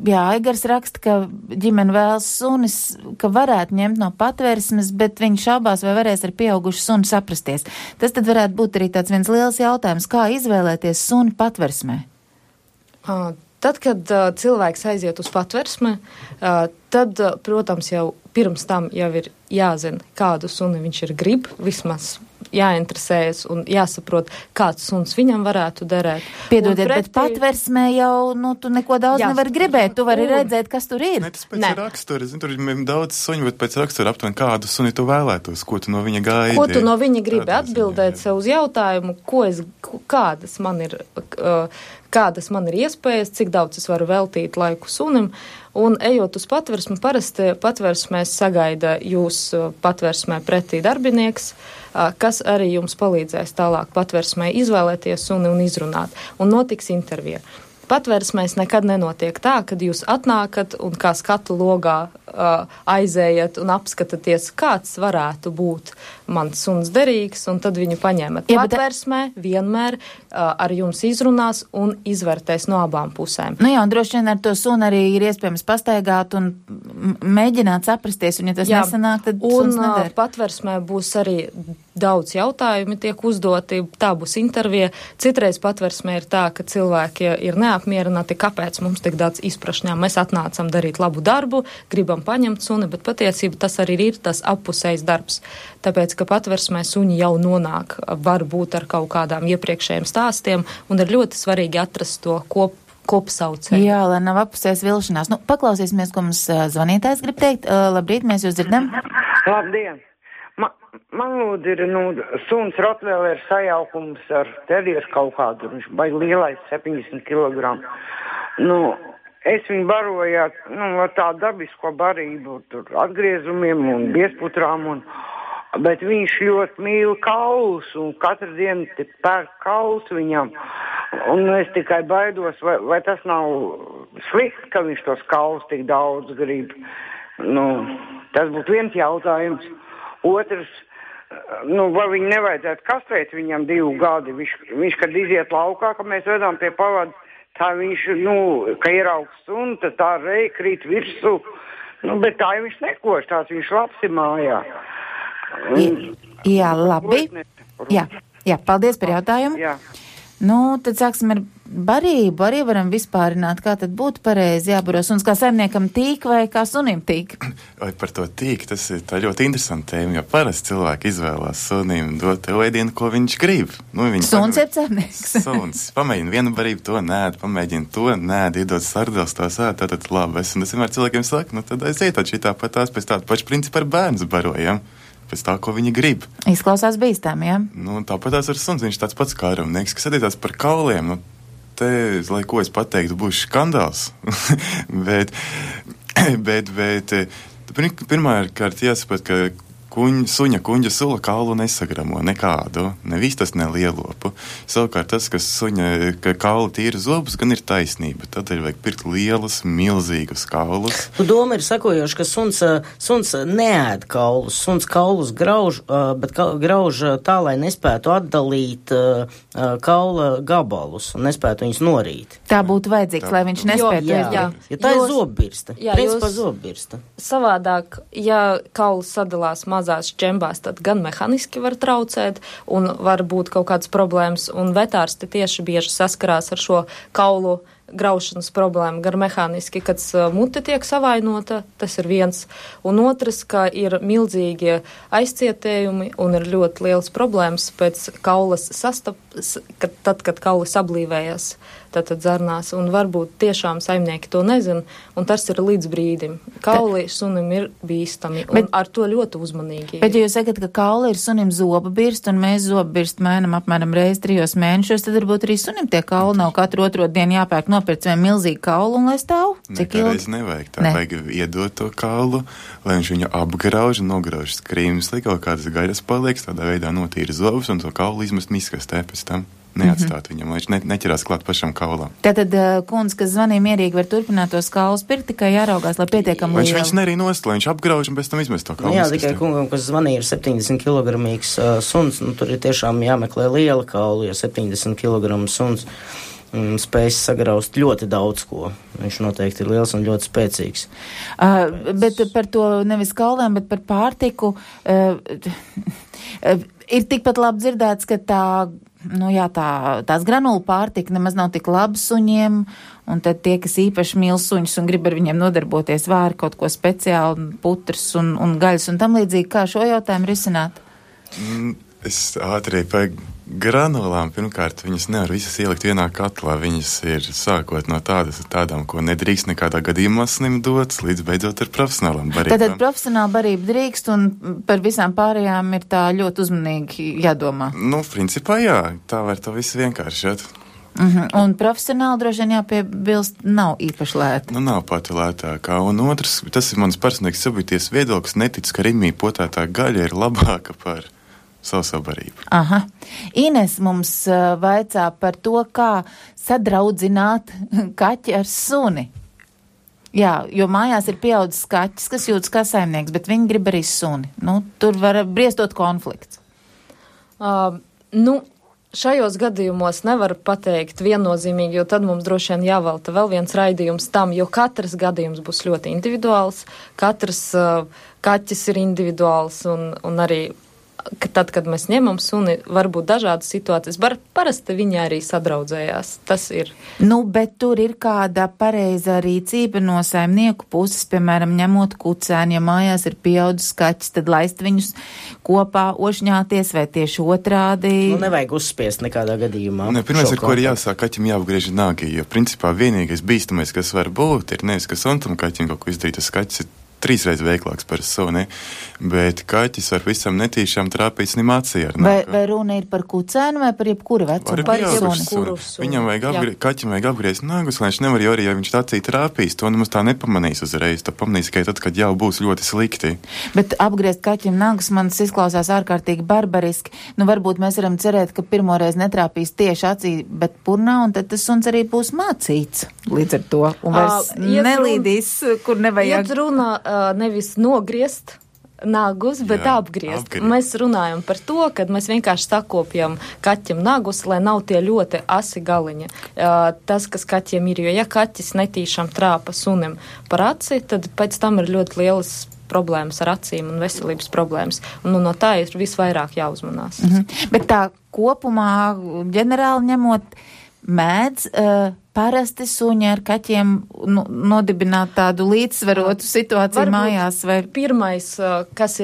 Jā, Aigars raksta, ka ģimene vēlas sunis, ka varētu ņemt no patversmes, bet viņš šaubās, vai varēs ar pieaugušu suni saprasties. Tas tad varētu būt arī tāds viens liels jautājums, kā izvēlēties suni patversmē? Tad, kad cilvēks aiziet uz patversmi, tad, protams, jau pirms tam jau ir jāzina, kādu suni viņš ir grib, vismaz jāinteresējas un jāsaprot, kāds suns viņam varētu derēt. Piedodiet, bet patversmē jau, tu neko daudz nevar gribēt, tu vari redzēt, kas tur ir. Ne, tas pēc rakstura, tur ir daudz suņu, bet pēc rakstura aptuveni kādu suni tu vēlētos, ko tu no viņa gaidi. Ko tu no viņa gribi atbildēt sev uz jautājumu, kādas man ir iespējas, cik daudz es varu veltīt laiku sunim, un ejot uz patversmi, parasti patversmēs sagaida jūs patversmē pretī darbinieks, kas arī jums palīdzēs tālāk patversmē izvēlēties suni un izrunāt, un notiks intervija. Patversmēs nekad nenotiek tā, kad jūs atnākat un kā skatu logā aizējat un apskatāties, kāds varētu būt mans suns derīgs, un tad viņu paņemat. Patversmē vienmēr ar jums izrunās un izvērtēs no abām pusēm. Nu jā, un droši vien ar to suni arī ir iespējams pastaigāt un mēģināt saprasties, un ja tas nesanāk, tad suns neder. Un patversmē būs arī daudz jautājumi tiek uzdoti, tā būs intervija. Citreiz patversmē ir tā, ka cilvēki ir neapmierināti, kāpēc mums tik daudz izprašņām. Mēs atnācam darīt labu darbu, gribam paņemt suni, bet patiesība tas arī ir tas appusējs darbs. Tāpēc, ka patversmē suņi jau nonāk, varbūt ar kaut kādām iepriekšējiem stāstiem, un ir ļoti svarīgi atrast to kopsaucēju. Jā, lai nav appusējs vilšanās. Paklausīsimies, ko mums zvanītājs grib teikt. Labrīt, mēs jūs dzirdam. Labdien! Man lūdzu ir, suns Rottweiler sajaukums ar terieru kaut kādu, viņš baigi lielais 70 kg. Es viņu baroju ar tādu dabisko barību, tur atgriezumiem un biesputrām, bet viņš ļoti mīl kaulus un katru dienu pērk kaulus viņam. Un es tikai baidos, vai tas nav slikti, ka viņš tos kaulus tik daudz grib. Tas būtu viens jautājums. Otrs, vai viņi nevajadzētu kastrēt viņam 2 gadi. Viņš kad iziet laukā, ka mēs vedām pie pavada, tā viņš, ka ieraugs suni, tad tā reja krīt virsū. Bet tā viņš nekoš, tās viņš labs ir mājā. Jā, labi. Jā, paldies par jautājumu. Jā. Tad sāksim ar barību. Arī varam vispārināt, kā tad būtu pareizi jābaro suns, kā saimniekam tīk vai kā sunim tīk? Vai par to tīk, tas ir tā ļoti interesanta tēma, jo parasti cilvēki izvēlās sunim dot ēdienu, ko viņš grib. Suns ir cernieks. Suns. Pamēģina vienu barību, to nēd, pamēģina to nēd, iedod sardels, tās tātad labi. Un es vienmēr cilvēkiem saku, tad aiziet šī tāpat tās pēc tāda paša principa ar bērnu barojam. Pēc tā, ko viņi grib. Izklausās bīstami, jā? Tāpat tās ar suns, viņš tāds pats kā aramnieks, kas attiecās par kauliem. Te, lai ko es pateiktu, būs skandāls. bet pirmkārt jāsaprot, ka suņa kuņģa sula kaulu nesagramo nekādu, ne vistas, ne lielopu. Savukārt tas, ka kaula tīra zobus, gan ir taisnība. Tad ir vajag pirkt lielus, milzīgus kaulus. Doma ir sakojoša, ka suns neēd kaulus. Suns kaulus grauž, bet grauž tā, lai nespētu atdalīt kaula gabalus un nespētu viņus norīt. Tā būtu vajadzīgs, lai viņš nespētu. Jā, tā ir zobbirsta. Principā zobbirsta. Savādāk, ja kauls sadalās mazās šķembās, tad gan mehaniski var traucēt un var būt kaut kādas problēmas, un vetārsti tieši bieži saskarās ar šo kaulu graušanas problēmu gar mehāniski, kad mute tiek savainota, tas ir viens, un otrs, ka ir milzīgie aizcietējumi un ir ļoti liels problēmas pēc kaulas tad, kad kauli sablīvējas, tad zarnās, un varbūt tiešām saimnieki to nezin, un tas ir līdz brīdim. Kauli sunim ir bīstami, un ar to ļoti uzmanīgi. Bet ja jūs sakat, ka kauli ir sunim zoba birst, un mēs zoba birst mēnam apmēram reizi 3 mēnešos, tad varbūt arī sunim tie kauli nav katru otro dienu jāpērk nopirkt vien milzīgu kaulu un lai stāv. Cik ilgi? Nevajag. Vajag iedot to kaulu, lai viņš viņu apgrauž un nograuž skrīmus, lai kaut kādas gaļas paliek, tādā veidā notīra zobus un to kaulu izmest miskastē pēc tam. neatstāt viņam, lai viņš neķerās klāt pašam kaulam. Tātad kundze, kas zvanīja mierīgi, var turpināt tos kaulus pirkt, tikai jāraugās, lai pietiekami liela. Viņš nerī nost, lai viņš apgrauž un pēc tam izmest to kaulu. Jā, tikai kungam, kas zvanīja, ir 70 kilogramīgs suns, tur ir tiešām jāmeklē liela kaula, jo 70 kilogramu suns spējas sagraust ļoti daudz ko. Viņš noteikti ir liels un ļoti spēcīgs. Bet par to nevis kaulēm, bet par pārtiku. Ir tikpat labi dzirdēts, ka tās granulu pārtika nemaz nav tik laba suņiem, un tad tie, kas īpaši mīl suņus un grib ar viņiem nodarboties, vēri kaut ko speciālu, putras un gaļas un tam līdzīgi, kā šo jautājumu risināt? Es ātri par granulām, pirmkārt, viņas nevar visas ielikt vienā katlā, viņas ir sākot no tādām, ko nedrīkst nekādā gadījumā sunim dots, līdz beidzot ar profesionālām barībām. Tātad profesionāla barība drīkst, un par visām pārējām ir tā ļoti uzmanīgi jādomā. Principā jā, tā var to visu vienkāršot. Un profesionāli droši vien jāpiebilst, nav īpaši lēta. Nav pati lētākā. Un otrs, tas ir mans personīgs subjektīvs viedoklis, netic, ka Rimī potētā gaļa ir labāka par savsabarību. Ines mums vaicā par to, kā sadraudzināt kaķi ar suni. Jā, jo mājās ir pieaudzis kaķis, kas jūtas kā saimnieks, bet viņi grib arī suni. Tur var briestot konflikts. Šajos gadījumos nevar pateikt viennozīmīgi, jo tad mums droši vien jāvelta vēl viens raidījums tam, jo katrs gadījums būs ļoti individuāls, katrs kaķis ir individuāls un arī tad, kad mēs ņemam suni, var būt dažādas situācijas, parasti viņi arī sadraudzējās, tas ir. Bet tur ir kāda pareiza rīcība no saimnieku puses, piemēram, ņemot kucēni, ja mājās ir pieaudzis kaķis, tad laist viņus kopā ošņāties, vai tieši otrādi? Nevajag uzspiest nekādā gadījumā. Pirmais, ar ko ir jāsāk, kaķim jāapgriež nāgi, jo principā vienīgais bīstamais, kas var būt, ir nevis, ka suntam kaķim kaut ko izdarīt, tas kaķis ir 3 reizes veiklāks par suni, bet kaķis var visam netīšām trāpīt snim acī ar nāku. Vai runa ir par kucēnu vai par jebkuru vecumu? Par jebkuru suni. Viņam kaķim vajag apgriezt nāgus, lai viņš nevar, jo arī, ja viņš acī trāpīs, to nemaz tā nepamanīs uzreiz. To pamanīs tikai tad, kad jau būs ļoti slikti. Bet apgriezt kaķim nāgus man izklausās ārkārtīgi barbariski. Varbūt mēs varam cerēt, ka pirmoreiz netrāpīs tieši acī, bet purnā, un tad tas suns arī būs mācīts līdz ar to. Un vairs nelīdīs, kur nevajag. Iet runā nevis nogriezt nagus, bet apgriezt. Mēs runājam par to, kad mēs vienkārši sakopjam kaķim nagus, lai nav tie ļoti asi galiņi. Tas, kas kaķiem ir, jo ja kaķis netīšām trāpa sunim par aci, tad pēc tam ir ļoti lielas problēmas ar acīm un veselības problēmas. Un no tā ir visvairāk jāuzmanās. Bet tā kopumā, ģenerāli ņemot, mēdz parasti suņi ar kaķiem nodibināt tādu līdzsvarotu situāciju varbūt mājās? Vai? Pirmais, kas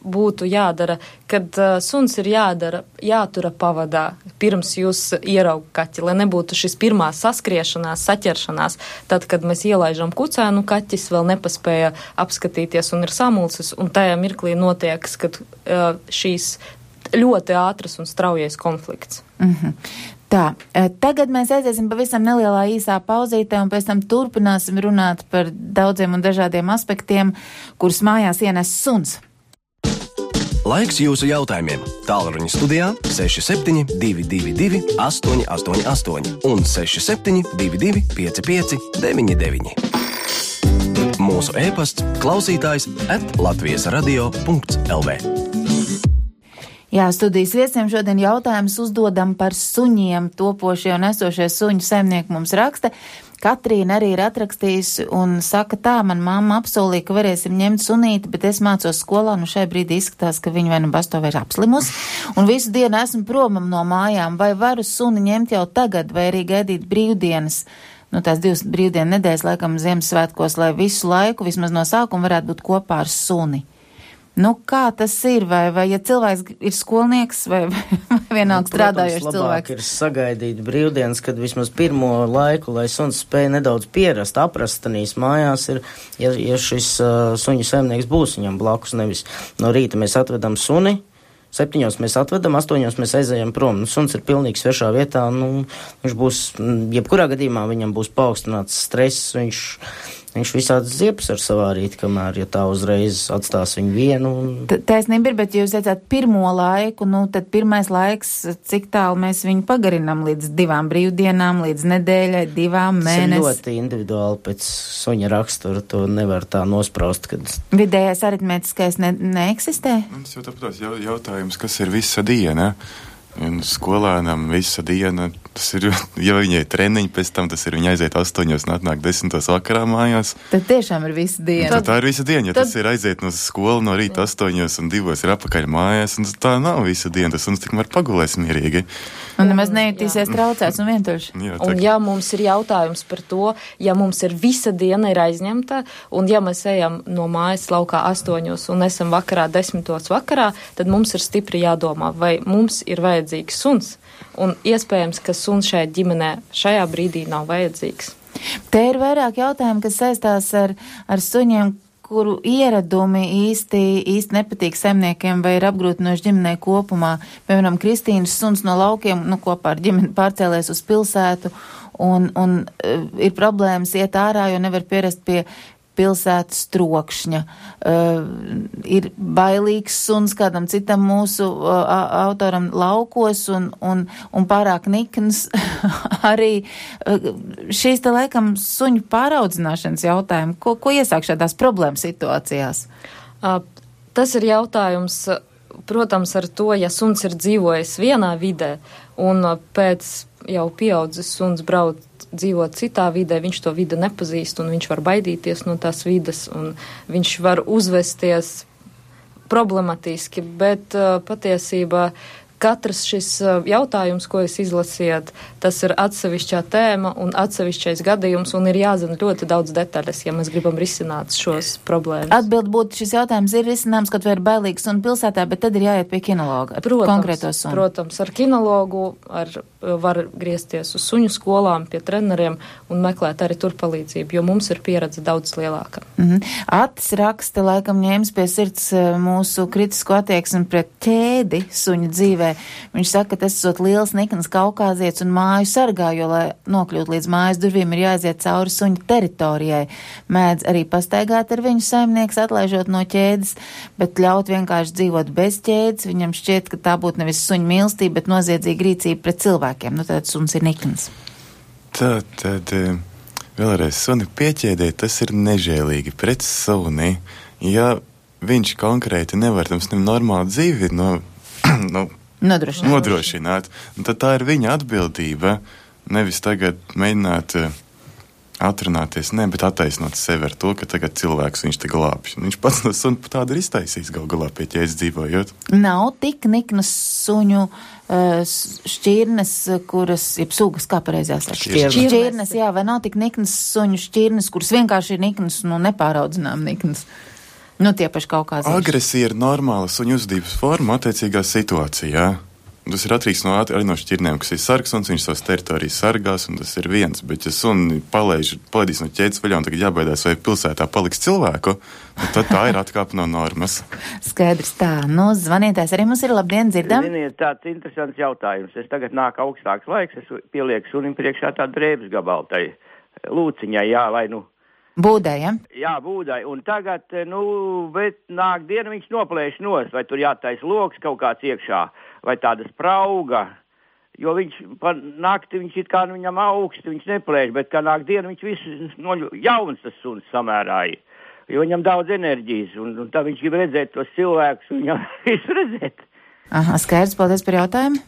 būtu jādara, kad suns ir jātura pavadā, pirms jūs ieraugat kaķi, lai nebūtu šis pirmā saskriešanās, saķeršanās. Tad, kad mēs ielaižam kucēnu, kaķis vēl nepaspēja apskatīties un ir samulsis, un tajā mirklī notiekas, kad šīs ļoti ātras un straujais konflikts. Tā, tagad mēs aiziesim pavisam nelielā īsā pauzītē un pēc tam turpināsim runāt par daudziem un dažādiem aspektiem, kurus mājās ienes suns. Laiks jūsu jautājumiem. Tālruņa studijā 6722 888 un 6722 559. Mūsu e-pasts klausītājs @latvijasradio.lv. Jā, studijas viesiem šodien jautājums uzdodam par suņiem. Topošie un esošie suņu saimnieki mums raksta. Katrīna arī ir atrakstījusi un saka tā, man mamma apsolīja, ka varēsim ņemt sunīti, bet es mācos skolā, šai brīdī izskatās, ka viņa vai basto vai ir apslimus, un visu dienu esmu promam no mājām, vai varu suni ņemt jau tagad, vai arī gaidīt brīvdienas, tās 2 brīvdienu nedēļas, laikam Ziemassvētkos, lai visu laiku, vismaz no sākuma varētu būt kopā ar suni. Kā tas ir? Vai ja cilvēks ir skolnieks vai vienalga strādājošs cilvēks? Ir sagaidīt brīvdienas, kad vismaz pirmo laiku, lai suns spēja nedaudz pierast, aprastanīs mājās, ja šis suņu saimnieks būs viņam blakus, nevis no rīta mēs atvedam suni, 7 mēs atvedam, 8 mēs aizējam prom. Suns ir pilnīgi svešā vietā, viņš būs, jebkurā gadījumā viņam būs paaugstināts stress, viņš Viņš visādas ziepes ar savārīt, kamēr, ja tā uzreiz atstās viņu vienu. Taisnība ir, bet jūs teicāt pirmo laiku, tad pirmais laiks, cik tālu mēs viņu pagarinām līdz 2 brīvdienām, līdz nedēļai, 2 mēnešiem. Tas ir ļoti individuāli pēc suņa rakstura, to nevar tā nospraust, kad... Vidējais aritmētiskais neeksistē? Tas jau tāpēc jautājums, kas ir visa diena? Un skolēnam visa diena, tas ir, ja viņai treniņi pēc tam, tas ir viņa aiziet 8 un atnāk 10 vakarā mājās. Tad tiešām ir visa diena. Tad tā ir visa diena, ja tas ir aiziet no skolu no rīta 8 un 2 ir apakaļ mājās, un tā nav visa diena, tas un tikmēr pagulēs mierīgi. Un nemaz nejutīsies traucēts un vientuļš. Un ja mums ir jautājums par to, ja mums ir visa diena ir aizņemta, un ja mēs ejam no mājas laukā 8 un esam vakarā 10 vakarā, tad mums ir stipri jādomā, vai mums ir vajadzīgs suns. Un iespējams, ka suns šajā ģimenē šajā brīdī nav vajadzīgs. Te ir vairāk jautājumu, kas saistās ar suņiem, kuru ieradumi īsti nepatīk saimniekiem vai ir apgrūtinoši ģimenei kopumā. Piemēram, Kristīnas suns no laukiem, kopā ar ģimeni pārcēlēs uz pilsētu un ir problēmas iet ārā, jo nevar pierast pie pilsētas trokšņa. Ir bailīgs suns kādam citam mūsu autoram laukos un pārāk nikns arī. Šīs te laikam suņu pāraudzināšanas jautājumi. Ko iesāk šādās problēmas situācijās? Tas ir jautājums, protams, ar to, ja suns ir dzīvojis vienā vidē un pēc jau pieaudzis suns brauc dzīvot citā vidē, viņš to vidi nepazīst un viņš var baidīties no tās vides un viņš var uzvesties problematiski, bet patiesībā katrs šis jautājums, ko jūs izlasiet, tas ir atsevišķā tēma un atsevišķais gadījums un ir jāzina ļoti daudz detaļas, ja mēs gribam risināt šos problēmas. Atbild būtu, šis jautājums ir risināms, kad vai ir bailīgs un pilsētā, bet tad ir jāiet pie kinologa ar konkrēto sunu. Protams, ar kinologu var griezties uz suņu skolām, pie treneriem un meklēt arī tur palīdzību, jo mums ir pieredze daudz lielāka. Atis raksta, laikam ņēmis pie sirds mūsu kritisko attieksmi pret ķēdi suņu dzīvē. Viņš saka, ka tas esot liels nikns kaukāzietis un māju sargā, jo, lai nokļūt līdz mājas durvīm, ir jāiziet cauri suņu teritorijai. Mēdz arī pastaigāt ar viņu saimnieks, atlaižot no ķēdes, bet ļaut vienkārši dzīvot bez ķēdes. Viņam šķiet, ka tā būtu nevis suņu mīlestība, bet noziedzīga rīcība pret cilvēkiem. Tad suns ir nikns. Tad vēlreiz suni pieķēdēt, tas ir nežēlīgi pret suni. Ja viņš konkrēti nevar tam normālu dzīvi nodrošināt. Tad tā ir viņa atbildība, nevis tagad mēģināt atrunāties, bet attaisnot sevi ar to, ka tagad cilvēks viņš te glābj. Viņš pats no sunu tādu ir iztaisījis galā pie ķēdes dzīvojot. Nav tik niknas suņu šķirnes, kuras, jeb sugas, kā pareizās ar šķirnes, jā, vai nav tik niknas suņu šķirnes, kuras vienkārši ir niknas, nepāraudzinām niknas. Tie paši kaukāzieši. Agresija ir normāla suņu uzvedības forma attiecīgā situācijā. Tas ir atkarīgs arī no šķirnēm, kas ir sargsuns, viņš savas teritorijas sargās, un tas ir viens. Bet, ja suni palaidīs no ķēdes vaļā un tagad jābaidās, vai pilsētā paliks cilvēku, tad tā ir atkāpe no normas. Skaidrs tā. Zvanītājs arī mums ir. Labdien, dzirdam. Ziniet, tāds interesants jautājums. Es tagad nāk augstāks laiks, es pielieku sunim priekšā tādu drēbes gabalu tai lūciņai, vai Būdai, ja? Jā, būdai. Un tagad, bet nāk diena viņš noplēš nos, vai tur jātais loks kaut kāds iekšā, vai tāda sprauga, jo viņš nakti viņš it kā viņam augsti, viņš neplēš, bet kā nāk diena viņš visu jauns tas suns samērāja, jo viņam daudz enerģijas, un tā viņš grib redzēt tos cilvēkus, un viņam visu redzēt. Aha, skaidrs, paldies par jautājumu.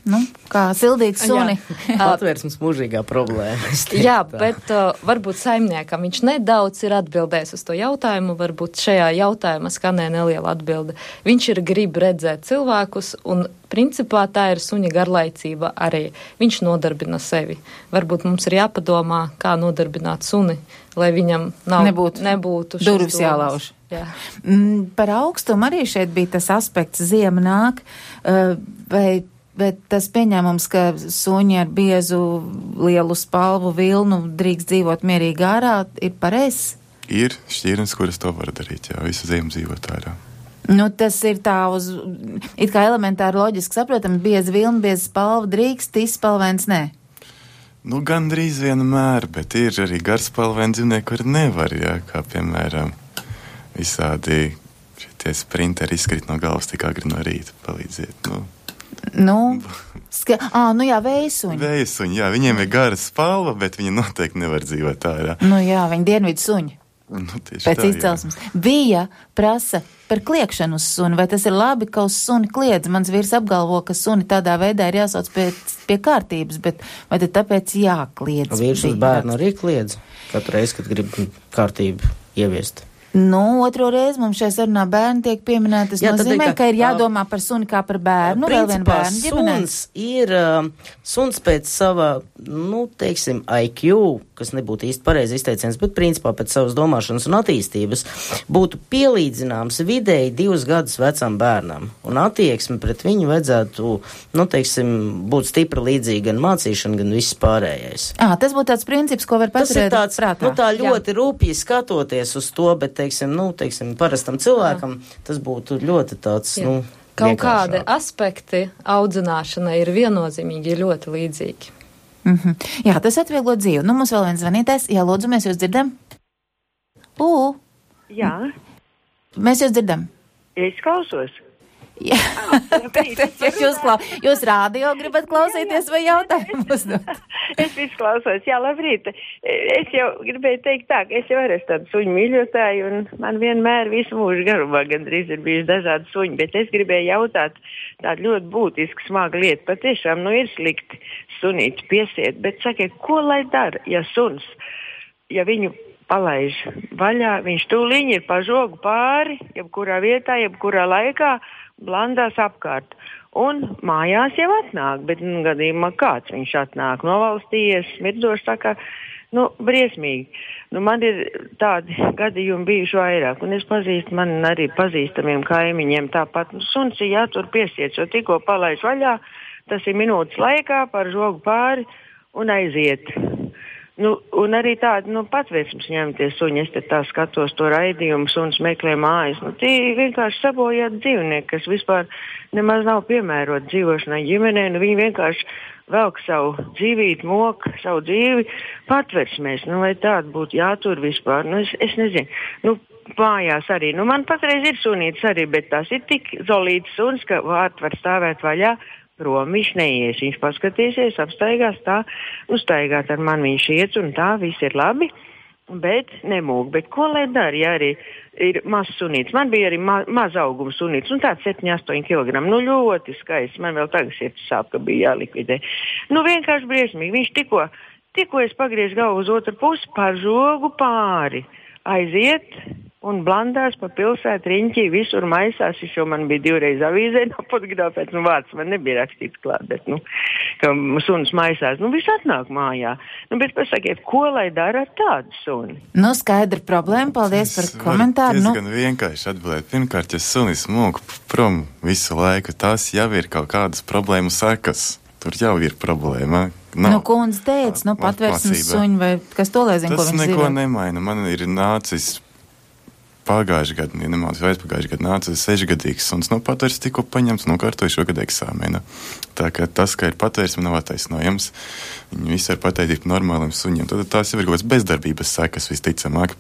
Kā sildīt suni? Atvērsmes mūžīgā problēma. Jā, bet varbūt saimniekam viņš nedaudz ir atbildējis uz to jautājumu, varbūt šajā jautājumā skanē neliela atbilde. Viņš ir grib redzēt cilvēkus, un principā tā ir suņa garlaicība arī. Viņš nodarbina sevi. Varbūt mums ir jāpadomā, kā nodarbināt suni, lai viņam nebūtu durvis jālauž. Jā. Par augstumu arī šeit bija tas aspekts, ziema nāk, bet tas pieņēmums, ka suņi ar biezu lielu spalvu vilnu drīkst dzīvot mierīgi ārā, ir pareizs? Ir šķirnes, kuras to var darīt, jā, visu ziemu dzīvot ārā. Tas ir tā it kā elementāri loģiski saprotam, bieza vilna, bieza spalva drīkst, izspalvēns nē. Nu, gandrīz vienmēr, bet ir arī garspalvaini dzīvnieki, kuri nevar, kā piemēram visādi šitie sprinteri izkrīt no galvas tik agri no rīta, palīdziet, vējsuņi. Vējsuņi, jā, viņiem ir gara spalva, bet viņi noteikti nevar dzīvot ārā. Viņi dienvidu suņi. Pēc izcelsmes. Bija prasa par kliekšanu uz suni, vai tas ir labi, ka uz suni kliedz? Mans vīrs apgalvo, ka suni tādā veidā ir jāsauc pie kārtības, bet vai tad tāpēc jākliedz? Vīrs uz bērnu arī kliedz katru reizi, kad grib kārtību ieviest. Otro reizi mums šajā sarunā bērni tiek pieminēti. Tas nozīmē, ka ir jādomā par suni kā par bērnu, vēl vien bērnu ģimenē. Suns pēc sava, IQ, kas nebūtu īsti pareizi izteiciens, bet principā pēc savas domāšanas un attīstības būtu pielīdzināms vidēji 2 gadus vecam bērnam. Un attieksme pret viņu vajadzētu, būt stipra līdzīga gan mācīšana, gan viss pārējais. Tas būtu tāds princips, ko var paturēt prātā. Tā ļoti rūpīgi skatoties uz to, bet parastam cilvēkam tas būtu ļoti tāds, Kaut kādi aspekti audzināšanai ir viennozīmīgi ļoti līdzīgi. Jā, tas atvieglo dzīvi. Mums vēl viens zvanītājs. Jā, lūdzu, mēs jūs dzirdam? Jā. Mēs jūs dzirdam. Es klausos. Jā. Jūs rādio gribat klausīties vai jautājumu uzdot? Es visu klausos. Jā, labrīt. Es jau gribēju teikt tā, ka es jau arī esmu tādu suņu mīļotāju un man vienmēr visu mūžu garumā gandrīz ir bijuši dažādi suņi, bet es gribēju jautāt tādu ļoti būtisku smagu lietu. Patiešām, ir slikti sunīti piesiet, bet sakiet, ko lai dara, ja suns, ja viņu palaiž vaļā, viņš tūliņi ir pa žogu pāri, jebkurā vietā, jebkurā laikā, blandās apkārt. Un mājās jau atnāk, bet gadījumā kāds viņš atnāk, novalstījies, smirdzoši, tā kā, briesmīgi. Man ir tādi gadījumi bijuši vairāk, un es pazīstu, man arī pazīstamiem kaimiņiem tāpat, suns ir jātur piesiet, jo tikko palaiž vaļā, tas ir minūtes laikā par žogu pāri un aiziet. Un arī tādi, patvērsmes ņemties suņi, es te tā skatos to raidījumu, suns meklē mājas. Tie vienkārši sabojāti dzīvnieki, kas vispār nemaz nav piemēroti dzīvošanai ģimenē, viņi vienkārši velk savu dzīvību, mok savu dzīvi patvērsmēs. Vai tāda būtu jātur vispār? Es nezinu. Mājās arī. Man patreiz ir sunītis arī, bet tas ir tik zolīts suns, ka vārti var stāvēt vaļā. Prom viņš neies, viņš paskatīsies, apstaigās tā, staigāt ar mani viņš iet un tā, viss ir labi, bet nemūk. Bet ko lai dara, ja arī ir mazs sunīts? Man bija arī maz auguma sunīts, tāds 7-8 kg, ļoti skaists, man vēl tagad sirds sāp, ka bija jālikvidē. Vienkārši briesmīgi, viņš tikko es pagriezu galvu uz otru pusi, par žogu pāri, aiziet un blandās pa pilsētu riņķī, visur maisās, jo man bija 2 reizes avīzē nopotografēts, vārds man nebija rakstīts klāt, bet, ka suns maisās, viss atnāk mājā. Bet pasakiet, ko lai dara ar tādu suni? Skaidra problēma, paldies par komentāru. Es gan vienkārši atbildēt. Pirmkārt, ja sunis mūk prom visu laiku, tās jau ir kaut kādas problēmu sekas. Tur jau ir problēma. Kundze teica, patvērsmes suņi vai kas to lai zina, ko viņš neko nemaina. Man ir nācis pagājušajā gadā, ja nemaldos, vai aizpagājušajā gadā nāca 6-gadīgs suns, patvērs tikko paņemts, nokārtoju šogad eksāmenu. Tā kā tas, ka ir patvērsme, nav attaisnojams. Viņi visi var pateikt par normāliem suņiem. Tad tās jau ir kaut kāds bezdarbības sekas visticamāk.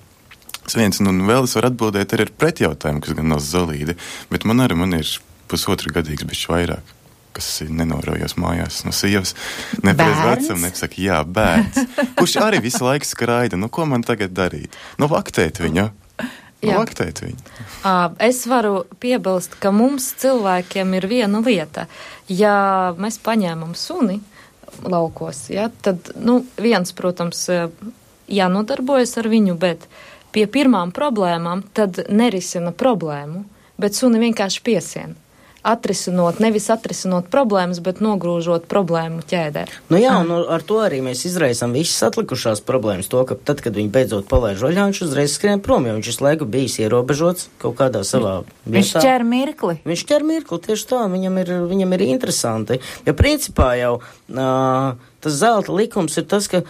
Vēl es varu atbildēt arī ar pretjautājumu, kas gan nav zolīdi, bet man ir 1,5 gadīgs bišķi vairāk, kas nenorojos mājās no sievas. Nepreiz vecam, nepasaka, jā, bērns, kurš arī visu laiku skraida. Ko man tagad darīt? Vaktēt viņu. Es varu piebilst, ka mums cilvēkiem ir viena lieta. Ja mēs paņēmam suni laukos, tad, viens, protams, jānodarbojas ar viņu, bet pie pirmām problēmām tad nerisina problēmu, bet suni vienkārši piesien. Nevis atrisinot problēmas, bet nogrūžot problēmu ķēdē. Un ar to arī mēs izraisām visas atlikušās problēmas. To, ka tad, kad viņi beidzot palaiž vaļā, viņš uzreiz skrien prom, jo viņš visu laiku bijis ierobežots kaut kādā savā vietā. Viņš ķer mirkli. Tieši tā, viņam ir interesanti. Ja principā jau tas zelta likums ir tas, ka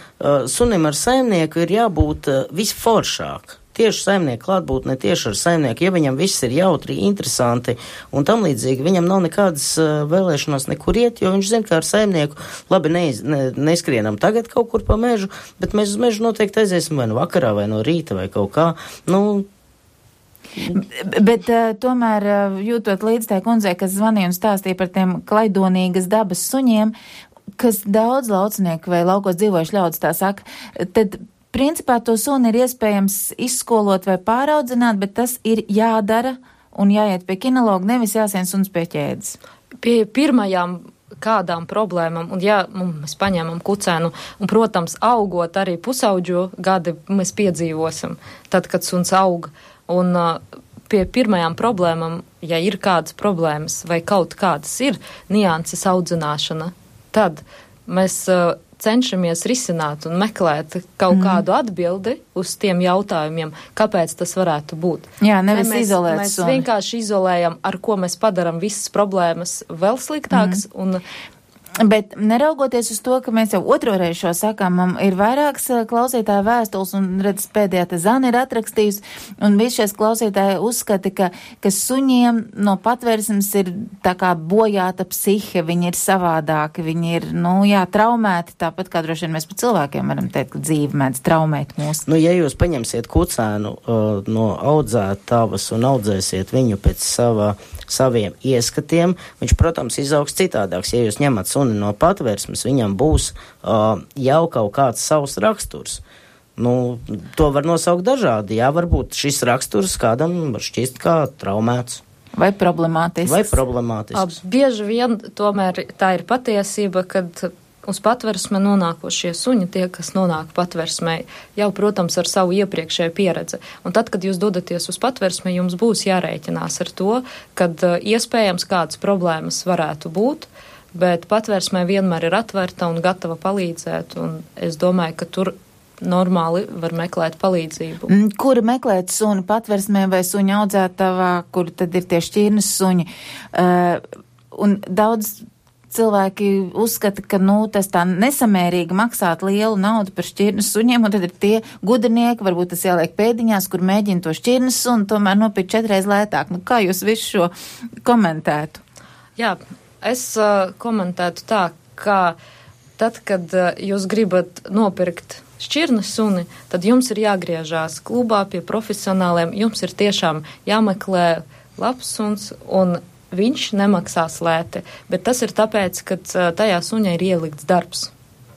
sunim ar saimnieku ir jābūt visforšāk. tieši saimnieku klātbūtne, tieši ar saimnieku, ja viņam viss ir jautri, interesanti un tam līdzīgi, viņam nav nekādas vēlēšanās nekur iet, jo viņš zina, ka ar saimnieku labi neskrienam tagad kaut kur pa mežu, bet mēs uz mežu noteikti aiziesim vai no vakarā, vai no rīta, vai kaut kā. Bet tomēr jūtot līdz tai kundzei, kas zvanīja un stāstīja par tiem klaidonīgas dabas suņiem, kas daudz laucinieku vai laukos dzīvojuši ļaudis tā saka, tad principā to suni ir iespējams izskolot vai pāraudzināt, bet tas ir jādara un jāiet pie kinologa, nevis jāsien suns pie ķēdes. Pie pirmajām kādām problēmām, un ja mēs paņēmam kucēnu, un, protams, augot arī pusauģu gadi, mēs piedzīvosim, tad, kad suns aug, un pie pirmajām problēmām, ja ir kādas problēmas vai kaut kādas ir nianses audzināšana, tad mēs cenšamies risināt un meklēt kaut kādu atbildi uz tiem jautājumiem, kāpēc tas varētu būt. Jā, nevis izolēt mēs suni. vienkārši izolējam, ar ko mēs padaram visas problēmas vēl sliktākas, un Bet neraugoties uz to, ka mēs jau otro reizi šo sakām, man ir vairākas klausītāju vēstules, un redz, pēdējā te Zana ir atrakstījusi, un visi šies klausītāji uzskata, ka suņiem no patvērsmes ir tā kā bojāta psihe, viņi ir savādāki, viņi ir, traumēti, tāpat kā droši vien mēs par cilvēkiem varam teikt, ka dzīve mēdz traumēt mūs. Ja jūs paņemsiet kucēnu no audzētavas un audzēsiet viņu pēc saviem ieskatiem, viņš, protams, izaugs citādāks. Ja jūs ņemat suni no patvērsmes, viņam būs jau kaut kāds savs raksturs. To var nosaukt dažādi. Jā, varbūt šis raksturs kādam var šķist kā traumēts. Vai problemātisks. Bieži vien tomēr tā ir patiesība, kad uz patversme nonākošie suņi, tie, kas nonāk patversmē, jau, protams, ar savu iepriekšēju pieredzi. Un tad, kad jūs dodaties uz patversmi, jums būs jārēķinās ar to, kad iespējams kādas problēmas varētu būt, bet patversmē vienmēr ir atvērta un gatava palīdzēt, un es domāju, ka tur normāli var meklēt palīdzību. Kur meklēt suni patversmē vai suņa audzētavā, kur tad ir tie šķirnes suņi? Un daudz cilvēki uzskata, ka, tas tā nesamērīgi maksāt lielu naudu par šķirnes suņiem, un tad ir tie gudrinieki, varbūt tas jāliek pēdiņās, kur mēģina to šķirnes suni, tomēr nopirkt 4 reizes lētāk. Kā jūs visu šo komentētu? Jā, es komentētu tā, ka tad, kad jūs gribat nopirkt šķirnes suni, tad jums ir jāgriežās klubā pie profesionāliem, jums ir tiešām jāmeklē labs suns, un viņš nemaksās lēti, bet tas ir tāpēc, ka tajā suņā ir ielikts darbs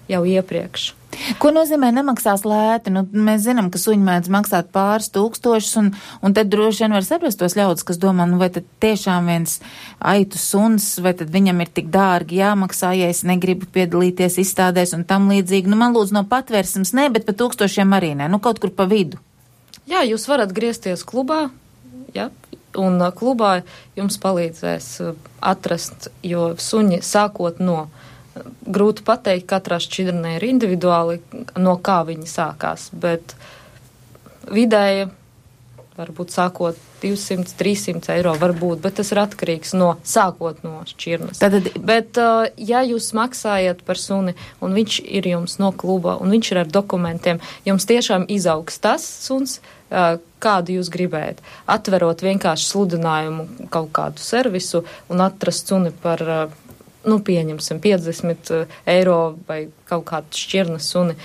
jau iepriekš. Ko nozīmē nemaksās lēti? Mēs zinām, ka suņi mēdz maksāt pāris tūkstošus, un tad droši vien var saprast tos ļaudis, kas domā, vai tad tiešām viens aitu suns, vai tad viņam ir tik dārgi jāmaksā, ja es negribu piedalīties izstādēs un tam līdzīgi. Man lūdzu no patvērsmes ne, bet pa tūkstošiem arī ne, kaut kur pa vidu. Jā, jūs varat griezties klubā, jā. Un klubā jums palīdzēs atrast, jo suņi sākot no, grūti pateikt, katrā šķirnē ir individuāli, no kā viņi sākās, bet vidēji varbūt sākot 200-300 eiro varbūt, bet tas ir atkarīgs no sākot no šķirnes. Bet, ja jūs maksājat par suni, un viņš ir jums no kluba, un viņš ir ar dokumentiem, jums tiešām izaugs tas suns, kādu jūs gribējat. Atverot vienkārši sludinājumu kaut kādu servisu un atrast suni par, pieņemsim, 50 eiro vai kaut kādu šķirnes suni,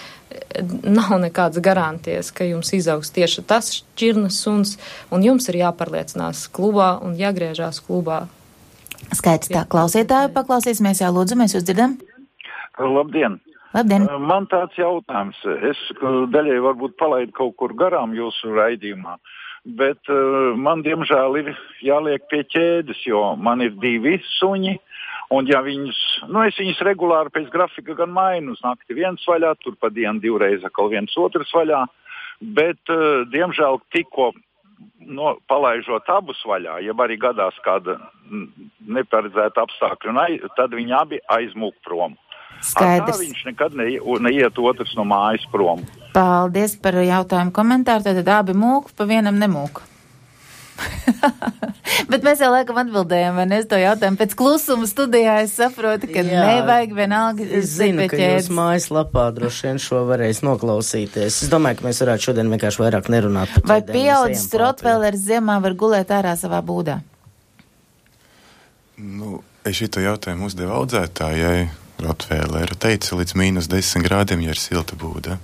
nav nekādas garantijas, ka jums izaugs tieši tas šķirnes suns, un jums ir jāpārliecinās klubā un jāgriežās klubā. Skaidrs tā, klausītāju paklausīsimies, jā, lūdzu, mēs jūs dzirdam. Labdien! Labdien! Man tāds jautājums, es daļai varbūt palaidu kaut kur garām jūsu raidījumā, bet man diemžēl ir jāliek pie ķēdes, jo man ir 2 suņi, un ja viņus, es viņus regulāri pēc grafika gan mainu, uz nakti viens vaļā, tur pa dienu 2 reizes atkal viens otrs vaļā, bet diemžēl tikko palaižot abus vaļā, ja arī gadās kāda neparedzēta apstākļa, tad viņi abi aizmūk prom. Skaidrs. Tā viņš nekad neiet otrs no mājas prom. Paldies par jautājumu komentāru. Tad abi mūk, pa vienam nemūk. Bet mēs jau laikam atbildējām, vai ne, es to jautājumu. Pēc klusuma studijā es saprotu, ka nevajag vienalga. Es zinu, ka jūs mājaslapā droši vien šo varēs noklausīties. Es domāju, ka mēs varētu šodien vienkārši vairāk nerunāt. Vai pieaudzis Rottweilers ziemā var gulēt ārā savā būdā? Nu, es šito jautājumu uzdevu audzētājai. Rottweileru teica līdz -10 grādiem, ja ir silta būda.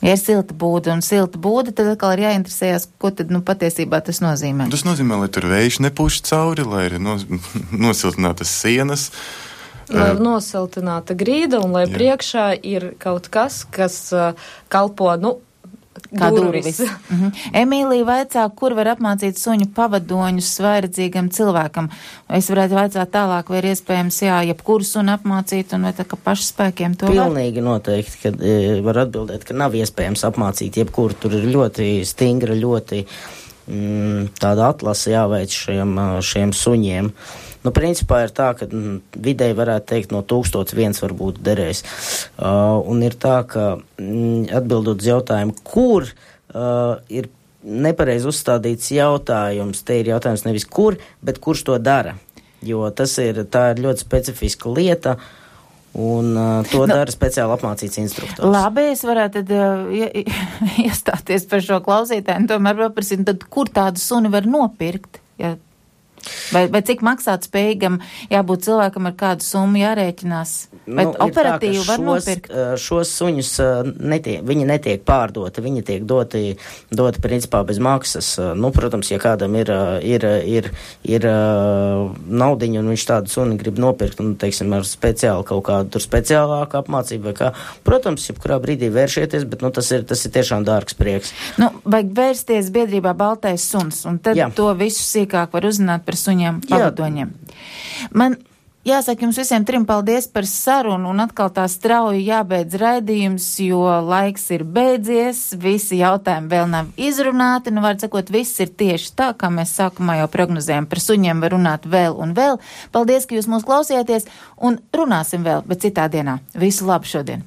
Ja ir silta būda un silta būda, tad atkal ir jāinteresējas, ko tad, patiesībā tas nozīmē. Tas nozīmē, lai tur vējš nepūš cauri, lai ir nosiltinātas sienas. Lai ir nosiltināta grīda un lai priekšā ir kaut kas, kas kalpo, kā durvis. Emīlija vaicā, kur var apmācīt suņu pavadoņus vairedzīgam cilvēkam. Es varētu vaicāt tālāk, vai ir iespējams, jebkuru sunu apmācīt, un vai tā kā pašspēkiem to Pilnīgi noteikti, ka var atbildēt, ka nav iespējams apmācīt jebkuru. Tur ir ļoti stingra, ļoti tāda atlase jāveic šiem suņiem. Nu, principā ir tā, ka vidēji varētu teikt no 1001 varbūt derēs. Un ir tā, ka atbildot uz jautājumu, kur ir nepareizi uzstādīts jautājums, te ir jautājums nevis kur, bet kurš to dara. Jo tā ir ļoti specifiska lieta, un to dara speciāli apmācīts instruktors. Labi, es varētu tad iestāties par šo klausītāju, un tomēr paprasīt, tad kur tādu suni var nopirkt? Ja? Vai cik maksāt spējīgam jābūt cilvēkam ar kādu summu jārēķinās? Vai operatīvi var nopirkt? Šos suņus viņi netiek pārdoti, viņi tiek doti principā bez maksas. Nu, protams, ja kādam ir naudiņa un viņš tādu suni grib nopirkt, un, teiksim, ar speciālu kaut kādu tur speciālāku apmācību vai kā, protams, jebkurā brīdī vēršieties, bet, tas ir tiešām dārgs prieks. Vajag vērsties biedrībā Baltais suns, un tad to visu sīkāk var uzzināt par suņiem pavadoņiem. Man jāsaka jums visiem trim paldies par sarunu, un atkal tā strauji jābeidz raidījums, jo laiks ir beidzies, visi jautājumi vēl nav izrunāti, var sakot, viss ir tieši tā, kā mēs sākumā jau prognozējam. Par suņiem var runāt vēl un vēl. Paldies, ka jūs mūs klausījāties, un runāsim vēl, bet citā dienā. Visu labu šodien!